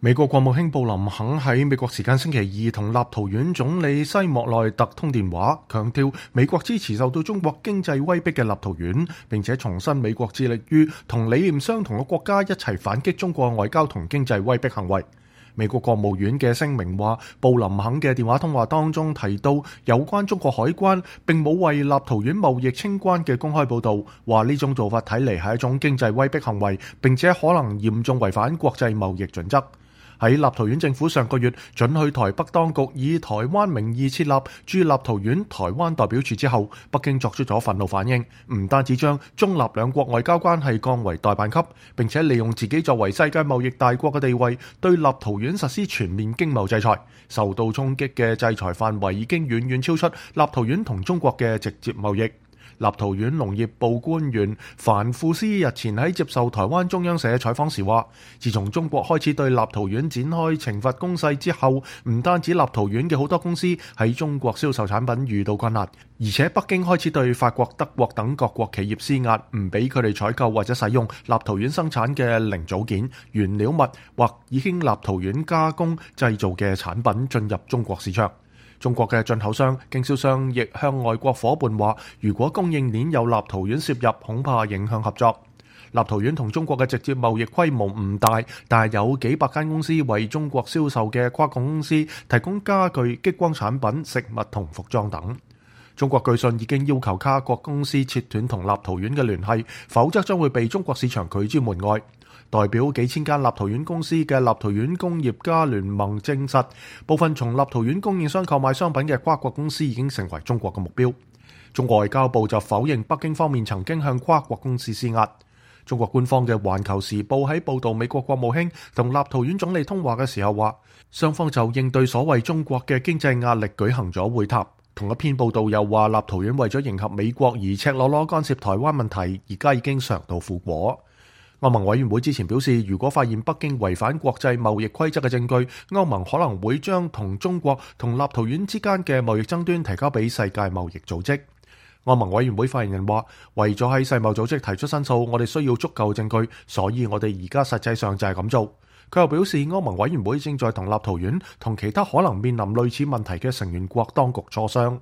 美國國務卿布林肯喺美國時間星期二同立陶宛總理西莫內特通電話，強調美國支持受到中國經濟威逼嘅立陶宛，並且重申美國致力於同理念相同嘅國家一齊反擊中國外交同經濟威逼行為。美國國務院嘅聲明話，布林肯嘅電話通話當中提到有關中國海關並冇為立陶宛貿易清關嘅公開報導，話呢種做法睇嚟係一種經濟威逼行為，並且可能嚴重違反國際貿易準則。喺立陶宛政府上個月准許台北當局以台灣名義設立駐立陶宛台灣代表處之後，北京作出咗憤怒反應，唔單止將中立兩國外交關係降為代辦級，並且利用自己作為世界貿易大國嘅地位，對立陶宛實施全面經貿制裁。受到衝擊嘅制裁範圍已經遠遠超出立陶宛同中國嘅直接貿易。立陶宛農業部官員凡庫斯日前喺接受台灣中央社採訪時話，自從中國開始對立陶宛展開懲罰攻勢之後，唔單止立陶宛嘅好多公司喺中國銷售產品遇到困難，而且北京開始對法國、德國等各國企業施壓，唔俾佢哋採購或者使用立陶宛生產嘅零組件、原料物或已經立陶宛加工製造嘅產品進入中國市場。中國嘅進口商、經銷商亦向外國夥伴話，如果供應鏈有立陶宛涉入，恐怕影響合作。立陶宛同中國嘅直接貿易規模唔大，但係有幾百間公司為中國銷售嘅跨國公司提供家具、激光產品、食物同服裝等。中國據信已經要求跨國公司切斷同立陶宛嘅聯繫，否則將會被中國市場拒之門外。代表幾千間立陶宛公司嘅立陶宛工業家聯盟證實，部分從立陶宛供應商購買商品嘅跨國公司已經成為中國嘅目標。中國外交部就否認北京方面曾經向跨國公司施壓。中國官方嘅《環球時報》喺報導美國國務卿同立陶宛總理通話嘅時候話，雙方就應對所謂中國嘅經濟壓力舉行咗會談。同一篇報導又話，立陶宛為咗迎合美國而赤裸裸干涉台灣問題，而家已經嘗到苦果。歐盟委員會之前表示，如果發現北京違反國際貿易規則嘅證據，歐盟可能會將同中國同立陶宛之間嘅貿易爭端提交俾世界貿易組織。歐盟委員會發言人話，為咗喺世貿組織提出申訴，我哋需要足夠證據，所以我哋而家實際上就係咁做。佢又表示，歐盟委員會正在同立陶宛同其他可能面臨類似問題嘅成員國當局磋商。